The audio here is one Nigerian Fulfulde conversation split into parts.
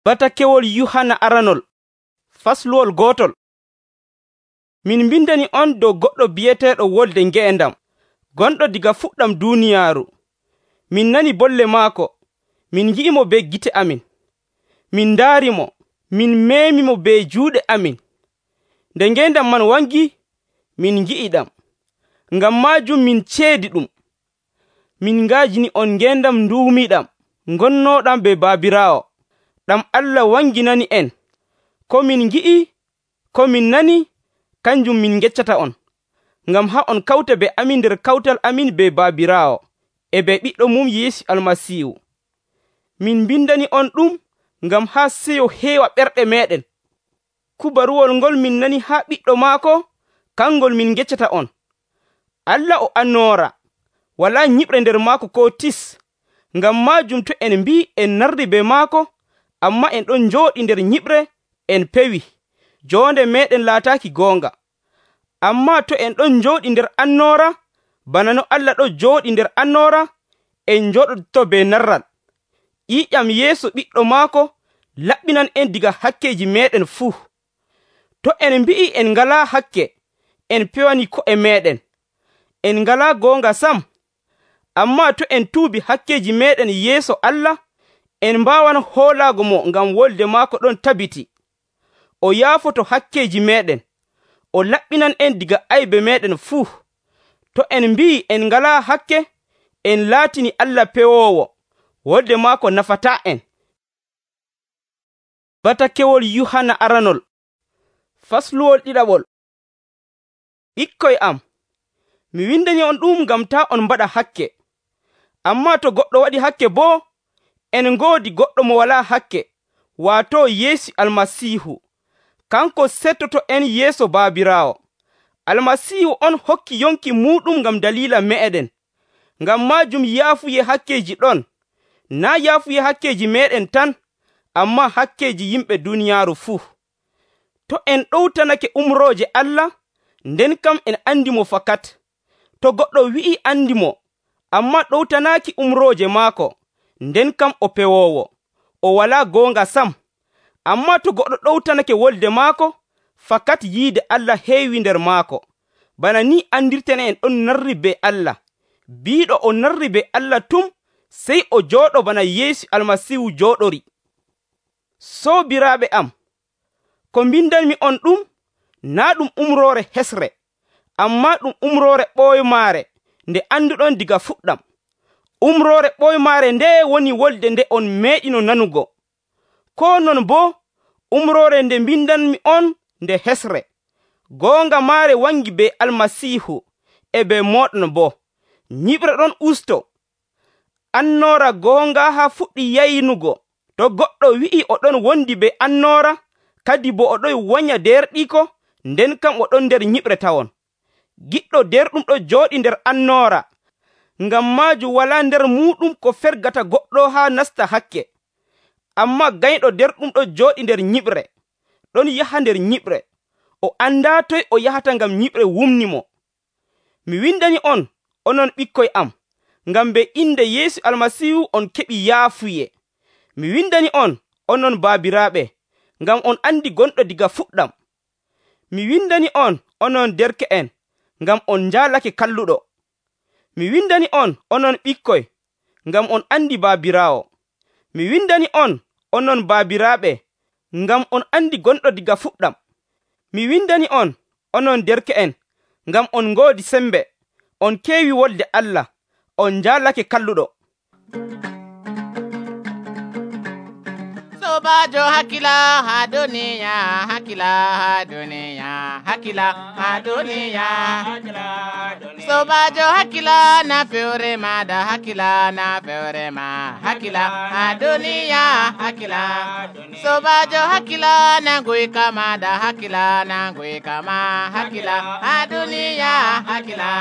Batakewol Yuhanna aranol fasluwol gootol. Min mbindani on dow goɗɗo bi'eteeɗo Wolde Nge'endam, gonɗo daga fuɗɗam duuniyaaru. Min nani bolle maako, min ngi'imo be gite amin, min ndaarimo, min meemimo be juuɗe amin. Nde ngeendam man wangi, min ngi'iɗam. Ngam maajum min ceedi ɗum. Min ngaajini on ngeendam nduumiiɗam, ngonnooɗam be Baabiraawo, ɗam Allah wanginani en. Ko min ngi'i, ko min nani, kanjum min geccata on, ngam haa on kawta be amin nder kawtal amin be Baabiraawo, e be ɓiɗɗo mum Yeesu Almasiihu. Min mbindani on ɗum ngam haa seyo heewa ɓerɗe meeɗen. Kubaruwol ngol min nani haa ɓiɗɗo maako, kangol min geccata on. Allah o annoora, walaa nyiɓre nder maako koo tis. Ngam maajum to en mbii en nardi be maako, ammaa en ɗon njooɗi nder nyiɓre, en pewi, joonde meeɗen laataaki goonga. Ammaa to en ɗon njooɗi nder annoora, bana no Allah ɗon jooɗi nder annoora, en njooɗoto be narral. Ƴiiƴam yeeso ɓiɗɗo maako laɓɓinan en diga hakkeeji meeɗen fuu. To en mbi'i en ngalaa hakke, en pewani ko'e meeɗen. En ngalaa goonga sam. Ammaa to en tuubi hakkeeji meeɗen yeeso Allah, en mbaawan hoolaago mo ngam wolde maako ɗon tabiti. O yaafoto hakkeeji meeɗen, o laɓɓinan en diga aybe meeɗen fuu. To en mbi'i en ngalaa hakke, en laatini Allah pewoowo, wolde maako nafataa en. Batakewol Yuhanna aranol fasluwol ɗiɗaɓol. Ɓikkoy am, mi windani on ɗum ngam taa on mbaɗa hakke. Ammaa to goɗɗo waɗi hakke boo, en ngoodi goɗɗo mo walaa hakke, waato Yeesu Almasiihu. Kanko settoto en yeeso Baabiraawo. Almasiihu on hokki yonki muuɗum ngam daliila meeɗen. Ngam maajum yaafuye hakkeeji ɗon, naa yaafuye hakkeeji meeɗen tan, ammaa hakkeeji yimɓe duuniyaaru fuu. To en ɗowtanake umrooje Allah, nden kam en andi mo fakat. To goɗɗo wi'i andi mo, ammaa ɗowtanaaki umrooje maako, nden kam o pewoowo, o walaa goonga sam. Ammaa to goɗɗo ɗowtanake wolde maako, fakat yiide Allah heewi nder maako. Bana ni andirten en ɗon narri be Allah. Biiɗo o narri be Allah tum, sey o jooɗo bana Yeesu Almasiihu jooɗori. Soobiraaɓe am, ko mbindanmi on ɗum, naa ɗum umroore hesre, ammaa ɗum umroore ɓooymaare nde anduɗon diga fuɗɗam. Umroore ɓooymaare nde woni wolde nde on meeɗino nanugo. Koo non boo, umroore nde mbindanmi on nde hesre. Goonga maare wangi be Almasiihu, e be mooɗon boo. Nyiɓre ɗon usto. Annoora goonga haa fuɗɗi yaynugo. To goɗɗo wi'i o ɗon wondi be annoora, kadi bo o ɗon wonya derɗiko, nden kam o ɗon nder nyiɓre tawon. Giɗɗo derɗum ɗo jooɗi nder annoora. Ngam maajum walaa nder muuɗum ko fergata goɗɗo haa nasta hakke. Ammaa gayɗo derɗum ɗo jooɗi nder nyiɓre, ɗon yaha nder nyiɓre. O andaa toy o yahata ngam nyiɓre wumni mo. Mi windani on, onon ɓikkoy am, ngam be inde Yeesu Almasiihu on keɓi yaafuye. Mi windani on, onon baabiraaɓe, ngam on andi gonɗo diga fuɗɗam. Mi windani on, onon derke'en, ngam on njaalake kalluɗo. Mi windani on, onon ɓikkoy, ngam on andi Baabiraawo. Mi windani on, onon baabiraaɓe, ngam on andi gonɗo diga fuɗɗam. Mi windani on, onon derke'en, ngam on ngoodi sembe, on keewi wolde Allah, on njaalake kalluɗo. Sobajo hakila ha duniya, hakila ha duniya, hakila ha duniya. Sobajo hakila na feure ma da hakila na feure ma, hakila ha duniya, hakila. Sobajo hakila na gui kama da hakila na gui kama, hakila ha duniya, hakila.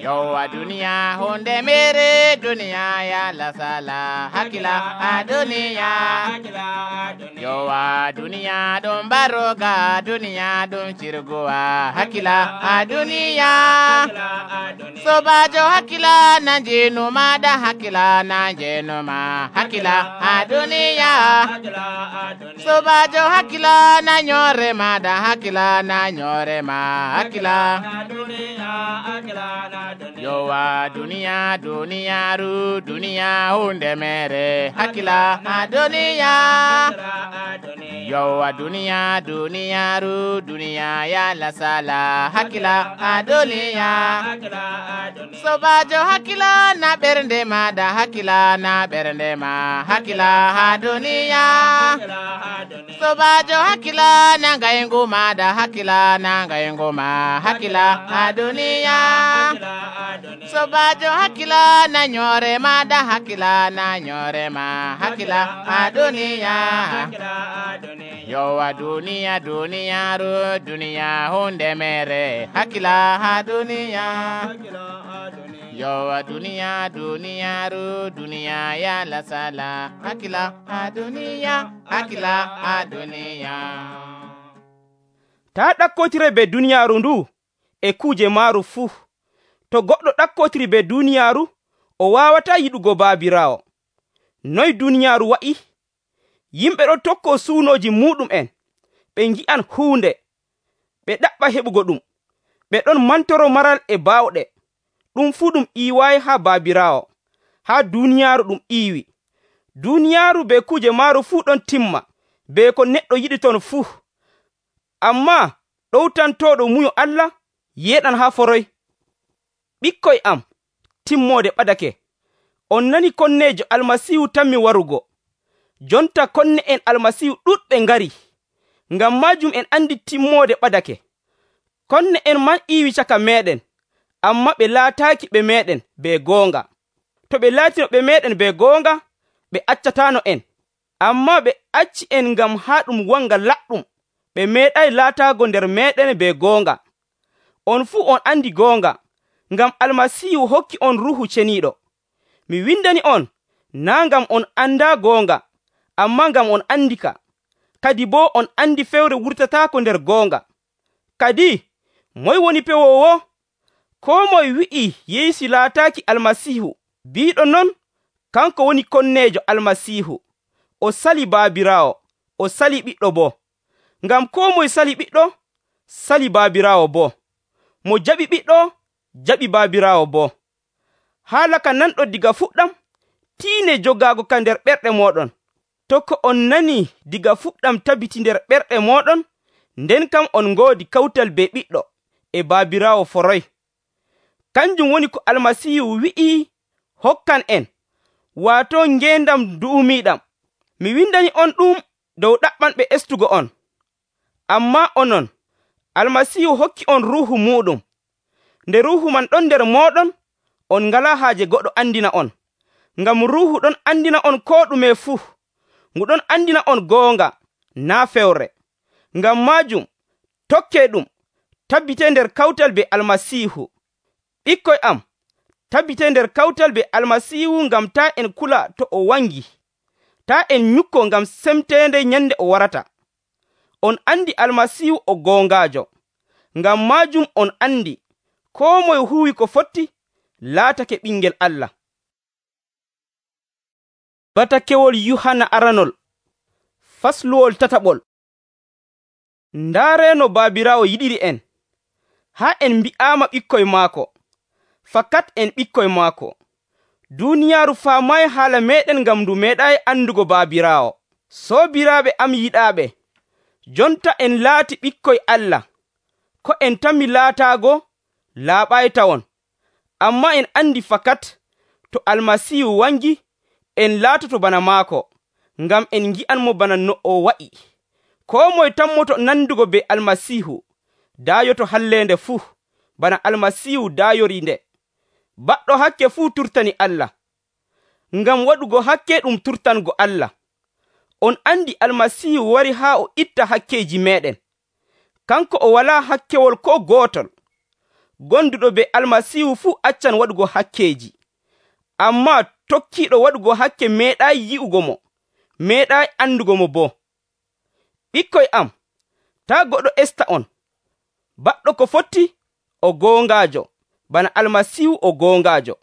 Yo a duniya hunde mere duniya ya la sala, hakila ha duniya. Yo a duniya do ɗum baroga duniya ɗum cirgowa hakkila ha duniya sobajo hakkila na jenu maɗa hakkila na jenu ma hakkila ha duniya sobajo hakkila na nyore maɗa hakkila na nyore ma hakkila yowa duniya duniyaru duniya hunde mere hakkila ha duniya yowa duniya duniyaru duniya ya lasala hakkila ha duniya sobajo hakkila na ɓernde maɗa hakkila na ɓernde ma hakkila ha duniya sobajo hakkila na gayngu maɗa hakkila na gayngu ma hakkila ha duniya sobajo hakkila na nyore maɗa hakkila na nyore ma hakkila ha duniya yowa duniya duniyaru duniya hunde mere hakkila ha duniya yowa duniya duniyaru duniya ya lasala hakkila ha duniya hakkila ha duniya ta ɗakkotire be duniyaaru ndu e kuuje maaru fuu to goɗɗo ɗakkotiri be duniyaaru o waawata yiɗugo baabiraawo. Noy duniyaaru wa'i? Yimɓe ɗon tokko suunooji muɗum'en, ɓe ngi'an huunde, ɓe ɗaɓɓa heɓugo ɗum, ɓe ɗon mantoro maral e baawɗe. Ɗum fuu ɗum iiwaayi haa baabiraawo, haa duniyaaru ɗum iiwi. Duniyaaru be kuuje maaru fuu ɗon timma, be ko neɗɗo yiɗi ton fuu. Ammaa ɗowtantooɗo muyo Allah yeeɗan haa foroy. Ɓikkoy am, timmoode ɓadake. On nani konneejo Almasiihu tammi warugo. Jonta konne'en Almasiihu ɗuɗɓe ngari. Ngam maajum en andi timmoode ɓadake. Konne'en man iiwi caka meeɗen, amma ɓe laataaki ɓe meeɗen be goonga. To ɓe laatino ɓe meeɗen be goonga, ɓe accataano en. Ammaa ɓe acci en ngam haa ɗum wanga laɗɗum. Ɓe meeɗay laataago nder meeɗen be goonga. On fuu on andi goonga, ngam Almasiihu hokki on Ruuhu Ceniiɗo. Mi windani on, naa ngam on andaa goonga, ammaa ngam on andi ka. Kadi boo on andi fewre wurtataako nder goonga. Kadi, moy woni pewoowo? Koo moye wi'i Yeesu laataaki Almasiihu, biiɗo non, kanko woni konneejo Almasiihu. O sali baabiraawo, o sali ɓiɗɗo boo. Ngam koo moye sali ɓiɗɗo, sali baabiraawo boo. Mo jaɓi ɓiɗɗo, jaɓi baabiraawo boo. Haala ka nanɗo diga fuɗɗam, tiine jogaago ka nder ɓerɗe mooɗon. To ko on nani diga fuɗɗam tabiti nder ɓerɗe mooɗon, nden kam on ngoodi kawtal be ɓiɗɗo e baabiraawo foroy. Kanjum woni ko Almasiihu wi'i hokkan en, waato ngeendam du'umiiɗam. Mi windani on ɗum dow ɗaɓɓanɓe estugo on. Ammaa onon, Almasiihu hokki on Ruuhu muuɗum. Nde Ruuhu man ɗon nder mooɗon, on ngalaa haaje goɗɗo andina on. Ngam Ruuhu ɗon andina on koo ɗume fuu. Ngu ɗon andina on goonga, naa fewre. Ngam maajum, tokkee ɗum, tabbitee nder kawtal be Almasiihu. Ɓikkoy am, tabbitee nder kawtal be Almasiihu ngam taa en kula to o wangi. Taa en nyukko ngam semteende nyande o warata. On andi Almasiihu o goongaajo. Ngam maajum on andi, koo moye huwi ko fotti, laatake ɓingel Allah. Batakewol Yuhanna aranol, fasluwol tataɓol. Ndaareno baabiraawo yiɗiri en, haa en mbi'aama ɓikkoy maako. Fakat en ɓikkoy maako. Duniyaaru faamaay haala meeɗen ngam ndu meeɗaay andugo baabiraawo. Soobiraaɓe am yiɗaaɓe, jonta en laati ɓikkoy Allah. Ko en tammi laataago, laaɓaay tawon. Ammaa en andi fakat to Almasiihu wangi, en laatoto bana maako, ngam en ngi'anmo bana no o wa'i. Koo moye tammoto nandugo be Almasiihu, daayoto halleende fuu, bana Almasiihu daayori nde. Baɗɗo hakke fuu turtani Allah, ngam waɗugo hakke ɗum turtango Allah. On andi Almasiihu wari haa o itta hakkeeji meeɗen. Kanko o walaa hakkewol koo gootol. Gonduɗo be Almasiihu fuu accan waɗugo hakkeeji. Ammaa tokkiiɗo waɗugo hakke meeɗaayi yi'ugo mo, meeɗaayi andugo mo boo. Ɓikkoy am, Taa goɗɗo esta on. Baɗɗo ko fotti o goongaajo, bana Almasiihu o goongaajo.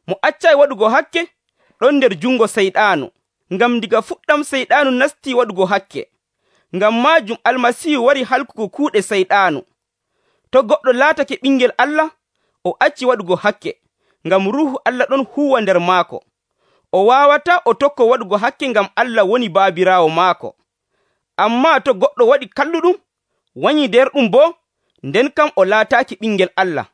Mo accay waɗugo hakke ɗon nder jungo Seyɗaanu, ngam diga fuɗɗam Seyɗaanu nastii waɗugo hakke. Ngam maajum Almasiihu wari halkugo kuuɗe Seyɗaanu. To goɗɗo laatake ɓingel Allah, o acci waɗugo hakke, ngam Ruuhu Allah ɗon huuwa nder maako. O waawataa o tokko waɗugo hakke ngam Allah woni baabiraawo maako. Ammaa to goɗɗo waɗi kalluɗum, wanyii nder ɗum boo, nden kam o laataaki ɓingel Allah.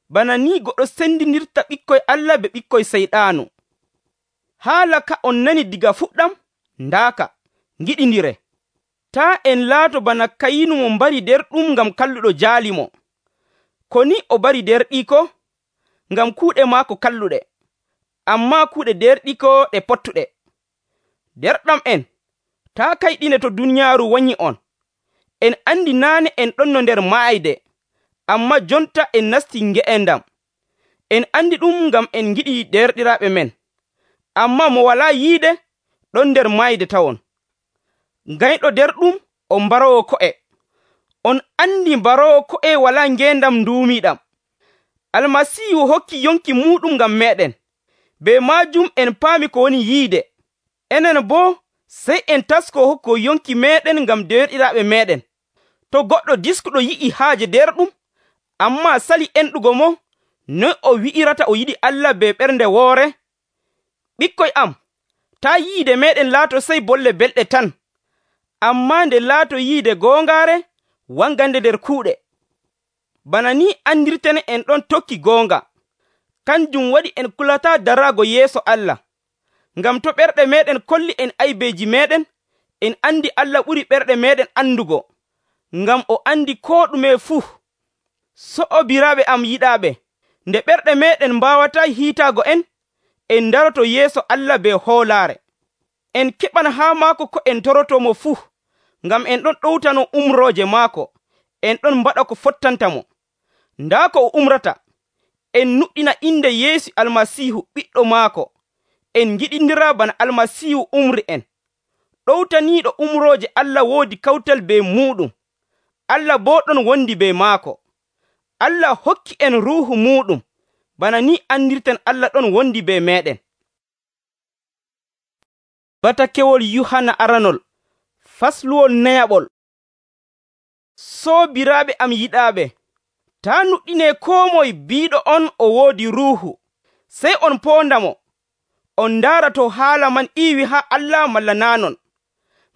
Bana ni goɗɗo sendinirta ɓikkoy Allah be ɓikkoy Seyɗaanu. Haala ka on nani diga fuɗɗam, ndaaka, ngiɗindire. Taa en laato bana Kayinu mo mbari nder ɗum ngam kalluɗo jaalimo. Ko ni o bari derɗiiko ngam kuuɗe maako kalluɗe, ammaa kuuɗe derɗiiko ɗe pottuɗe. Derɗam en, taa kayɗine to duniyaaru wanyi on. En andi naane en ɗon no nder maayde, ammaa jonta en nasti nge'endam. En andi ɗum ngam en ngiɗi derɗiraaɓe men. Ammaa mo walaa yiide ɗon nder maayde tawon. Gayɗo nder ɗum o mbaroowo ko'e. On andi mbaroowo ko'e walaa ngeendam nduumiiɗam. Almasiihu hokki yonki muuɗum ngam meeɗen. Be maajum en paami ko woni yiide. Enen boo sey en taskoo hokko yonki meeɗen ngam derɗiraaɓe meeɗen. To goɗɗo diskuɗo yi'i haaje nder ɗum, ammaa sali enɗugo mo, noy o wi'irata o yiɗi Allah be ɓernde woore? Ɓikkoy am, taa yiide meeɗen laato sey bolle belɗe tan, ammaa nde laato yiide goongaare wangande nder kuuɗe. Bana ni andirten en ɗon tokki goonga. Kanjum waɗi en kulataa daraago yeeso Allah. Ngam to ɓerɗe meeɗen kolli en aybeeji meeɗen, en andi Allah ɓuri ɓerɗe meeɗen andugo, ngam o andi koo ɗume fuu. So'obiraaɓe am yiɗaaɓe, nde ɓerɗe meeɗen mbaawataa hiitaago en daroto yeeso Allah be hoolaare. En keɓan haa maako ko en torotomo fuu, ngam en ɗon ɗowtano umrooje maako, en ɗon mbaɗa ko fottanta mo. Ndaa ko o umrata, en nuɗɗina inde Yeesu Almasiihu ɓiɗɗo maako, en ngiɗindira bana Almasiihu umri en. Ɗowtaniiɗo umrooje Allah woodi kawtal be muuɗum. Allah boo ɗon wondi be maako. Allah hokki en Ruuhu muuɗum, bana ni andirten Allah ɗon wondi be meeɗen. Batakewol Yuhanna aranol, fasluwol nayaɓol. Soobiraaɓe am yiɗaaɓe, taa nuɗɗinee koo moye biiɗo on o woodi Ruuhu, sey on poondamo, on ndaara to haala man iiwi haa Allah malla naa non.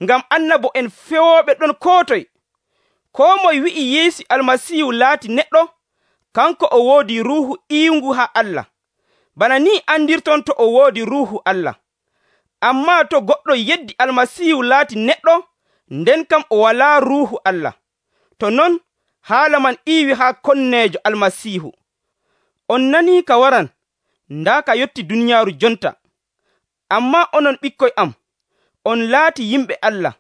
Ngam annabo en fewooɓe ɗon koo toye. Koo moye wi'i Yeesu Almasiihu laati neɗɗo, kanko o woodi Ruuhu iiwngu haa Allah, bana ni andirton to o woodi Ruuhu Allah. Ammaa to goɗɗo yeddi Almasiihu laati neɗɗo, nden kam o walaa Ruuhu Allah. To non, haala man iiwi haa konneejo Almasiihu. On nanii ka waran, ndaa ka yotti duniyaaru jonta. Ammaa onon ɓikkoy am, on laati yimɓe Allah,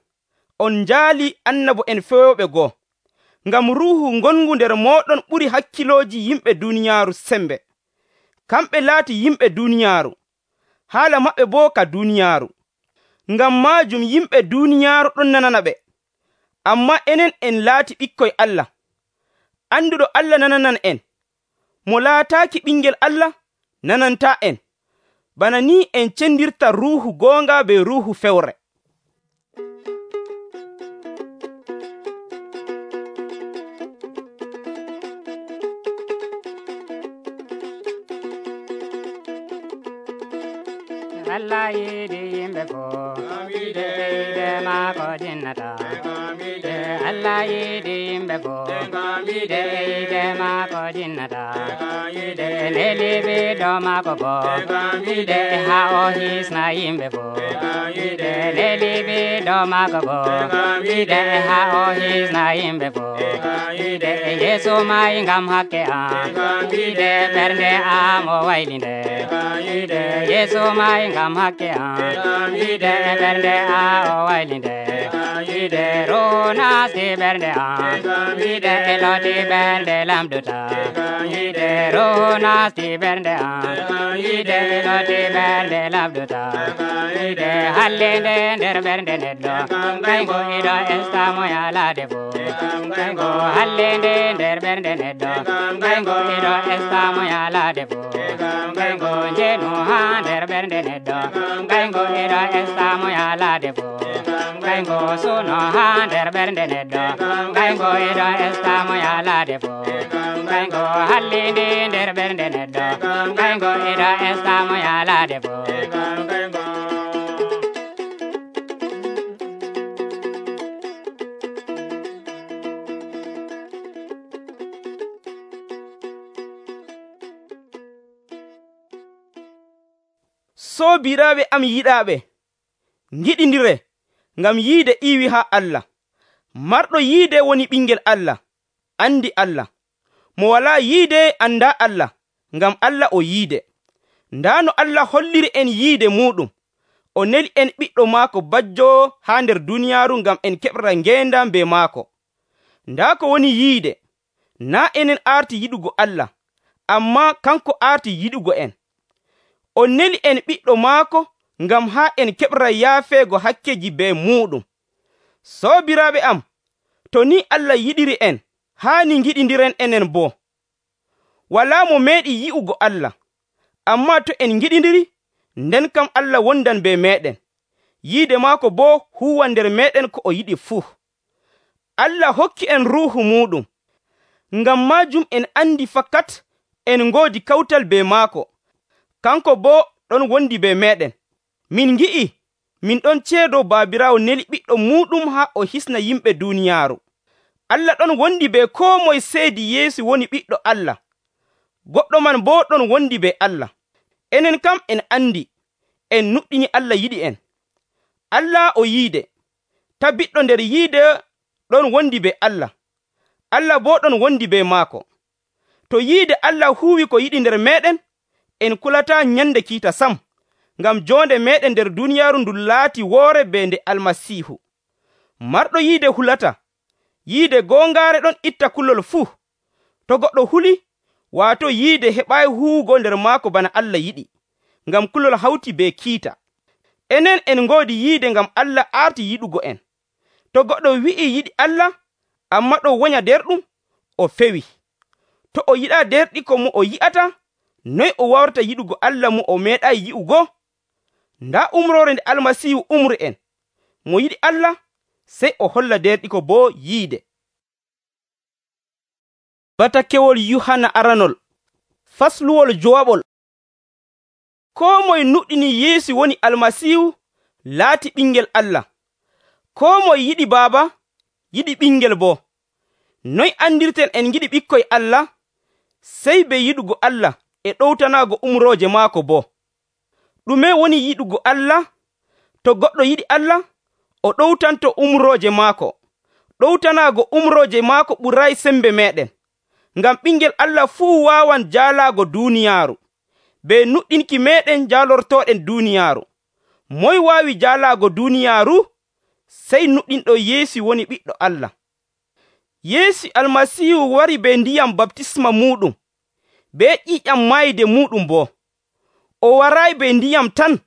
on njaali annabo en fewooɓe goo. Ngam Ruuhu ngongu nder mooɗon ɓuri hakkilooji yimɓe duniyaaru sembe. Kamɓe laati yimɓe duniyaaru, haala maɓɓe boo ka duniyaaru. Ngam maajum yimɓe duniyaaru ɗon nanana ɓe. Ammaa enen en laati ɓikkoy Allah. Anduɗo Allah nananan en. Mo laataaki ɓingel Allah nanantaa en. Bana ni en cendirta Ruuhu goonga be ruuhu fewre. Allah yiɗi yimɓe fof ɓeyde maako jinnata. Allah yiɗi yimɓe fof ɓeyde maako jinnata. Leli ɓiɗɗo maako fof haa o hisna yimɓe fof. Leli ɓiɗɗo maako fof haa o hisna yimɓe fof. Yeesu mayi ngam hakke am, ɓernde am o waylinde. Yeesu mayi ngam hakke am, ɓernde am o waylinde. wiide Ruhu naasti ɓernde am wiide eloti ɓernde lamduta wiide Ruhu naasti ɓernde am wiide eloti ɓernde lamduta wiide hallende nder ɓernde neɗɗo kaygo iɗo estamo yalade fo kaygo hallende nder ɓernde neɗɗo kaygo iɗo estamo yalade fo kaygo jeenu ha nder ɓernde neɗɗo kaygo iɗo estamo yalade fo kaygo suno ha nder ɓernde neɗɗo kaygo iɗo estamo yalade fo kaygo hallindi nder ɓernde neɗɗo kaygo iɗo estamo yalade fo Soobiraaɓe am yiɗaaɓe, ngiɗindire ngam yiide iwi haa Allah. Marɗo yiide woni ɓingel Allah, andi Allah. Mo walaa yiide andaa Allah, ngam Allah o yiide. Ndaa no Allah holliri en yiide muɗum, o neli en ɓiɗɗo maako bajjo haa nder duniyaaru ngam en keɓra ngeendam be maako. Ndaa ko woni yiide, naa enen aarti yiɗugo Allah, ammaa kanko aarti yiɗugo en. O neli en ɓiɗɗo maako ngam haa en keɓra yaafeego hakkeji be muɗum. Soobiraaɓe am, to ni Allah yiɗiri en, haani ngiɗindiren enen boo. Walaa mo meeɗi yi'ugo Allah, ammaa to en ngiɗindiri, nden kam Allah wondan be meeɗen. Yiide maako boo huwan nder meeɗen ko o yiɗi fuu. Allah hokki en Ruuhu muɗum. Ngam maajum en andi fakat en ngoodi kawtal be maako. Kanko boo ɗon wondi be meeɗen. Min ngi'i min ɗon ceedo Baabiraawo neli ɓiɗɗo muɗum haa o hisna yimɓe duuniyaaru. Allah ɗon wondi be koo moye seedi Yeesu woni ɓiɗɗo Allah. Goɗɗo man boo ɗon wondi be Allah. Enen kam en andi, en nuɗɗini Allah yiɗi en. Allah o yiide, tabbiɗɗo nder yiide ɗon wondi be Allah. Allah boo ɗon wondi be maako. To yiide Allah huuwi ko yiɗi nder meeɗen, en kulataa nyande kiita sam, ngam joonde meeɗen nder duniyaaru ndu laati woore be nde Almasiihu. Marɗo yiide hulata. Yiide goongaare ɗon itta kulol fuu. To goɗɗo huli, waato yiide heɓaayi huwugo nder maako bana Allah yiɗi, ngam kulol hawti be kiita. Enen en ngoodi yiide ngam Allah aarti yiɗugo en. To goɗɗo wi'i yiɗi Allah, ammaa ɗo wonya derɗum, o fewi. To o yiɗaa derɗi ko mo o yi'ata, noy o wawrata yiɗugo Allah mo o meeɗaayi yi'ugo? Ndaa umroore nde Almasiihu umri en. Mo yiɗi Allah, sey o holla derɗi ko boo yiide. Batakewol Yuhanna aranol fasluwol jowaɓol. Koo moye nuɗɗini Yeesu woni Almasiihu laati ɓingel Allah. Koo moye yiɗi baaba, yiɗi ɓingel boo. Noy andirten en ngiɗi ɓikkoy Allah? Sey be yiɗugo Allah e ɗowtanaago umrooje maako boo. Ɗume woni yiɗugo Allah? To goɗɗo yiɗi Allah, o ɗowtanto umrooje maako. Ɗowtanaago umrooje maako ɓuray sembe meeɗen. Ngam ɓingel Allah fuu waawan jaalaago duuniyaaru. Be nuɗɗinki meeɗen jaalortooɗen duuniyaaru. Moy waawi jaalaago duuniyaaru? Sey nuɗɗinɗo Yeesu woni ɓiɗɗo Allah. Yeesu Almasiihu wari be ndiyam baptisma muɗum, be ƴiƴam maayde muɗum boo. O waraayi be ndiyam tan,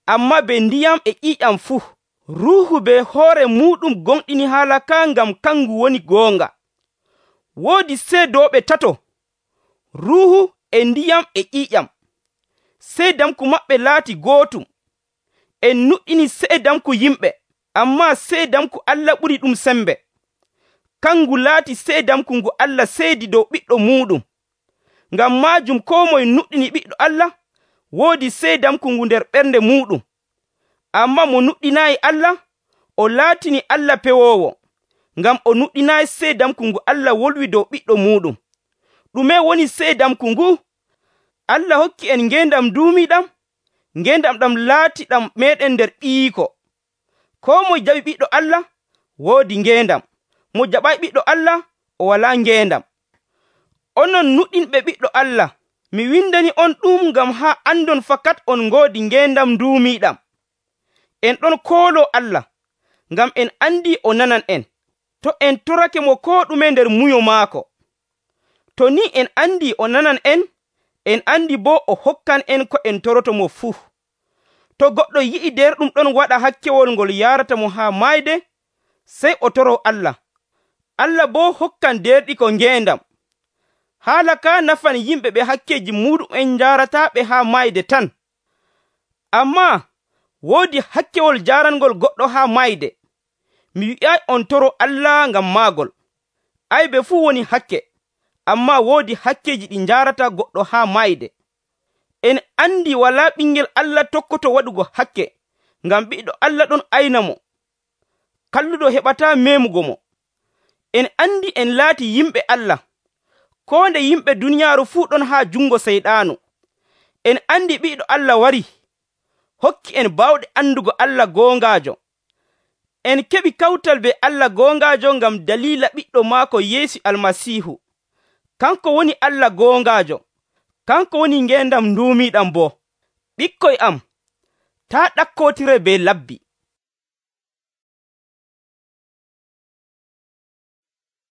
ammaa be ndiyam e ƴiƴam fuu. Ruuhu be hoore muɗum gonɗini haala ka ngam kangu woni goonga. Woodi seedooɓe tato, Ruuhu e ndiyam e ƴiƴam. Seedamku maɓɓe laati gootum. En nuɗɗini seedamku yimɓe, ammaa seedamku Allah ɓuri ɗum sembe. Kangu laati seedamku ngu Allah seedi dow ɓiɗɗo muɗum. Ngam maajum koo moye nuɗɗini ɓiɗɗo Allah, woodi seedamku ngu nder ɓernde muɗum. Ammaa mo nuɗɗinaayi Allah, o laatini Allah pewoowo, ngam o nuɗɗinaayi seedamku ngu Allah wolwi dow ɓiɗɗo muɗum. Ɗume woni seedamku ngu? Allah hokki en ngeendam duumiiɗam, ngeendam ɗam laati ɗam meeɗen nder ɓiyiiko. Koo mo jaɓi ɓiɗɗo Allah, woodi ngeendam. Mo jaɓay ɓiɗɗo Allah, o walaa ngeendam. Onon nuɗɗinɓe ɓiɗɗo Allah, mi windani on ɗum ngam haa andon fakat on ngoodi ngeendam duumiiɗam. En ɗon kooloo Allah, ngam en andi o nanan en, to en torake mo koo ɗume nder muyo maako. To ni en andi o nanan en andi boo o hokkan en ko en toroto mo fuu. To goɗɗo yi'i nder ɗum ɗon waɗa hakkewol ngol yarata mo haa mayde, sey o toroo Allah. Allah boo hokkan derɗi ko ngeendam. Haala ka nafan yimɓe ɓe hakkeeji muuɗum'en njarataaɓe haa mayde tan. Ammaa woodi hakkewol jaarangol goɗɗo haa mayde. Mi wi'ay on toro Allah ngam maagol. Aybe fuu woni hakke, ammaa woodi hakkeeji ɗi njaarata goɗɗo haa mayde. En andi walaa ɓingel Allah tokkoto waɗugo hakke, ngam ɓiɗɗo Allah ɗon ayna mo. Kalluɗo heɓataa meemugo mo. En andi en laati yimɓe Allah. Koo nde yimɓe duniyaaru fuu ɗon haa jungo Seyɗaanu. En andi ɓiɗɗo Allah wari, hokki en bawɗe andugo Allah goongaajo. En keɓi kawtal be Allah goongaajo ngam daliila ɓiɗɗo maako Yeesu Almasiihu. Kanko woni Allah goongaajo. Kanko woni ngeendam nduumiiɗam boo. Ɓikkoy am, taa ɗakkotire be labbi.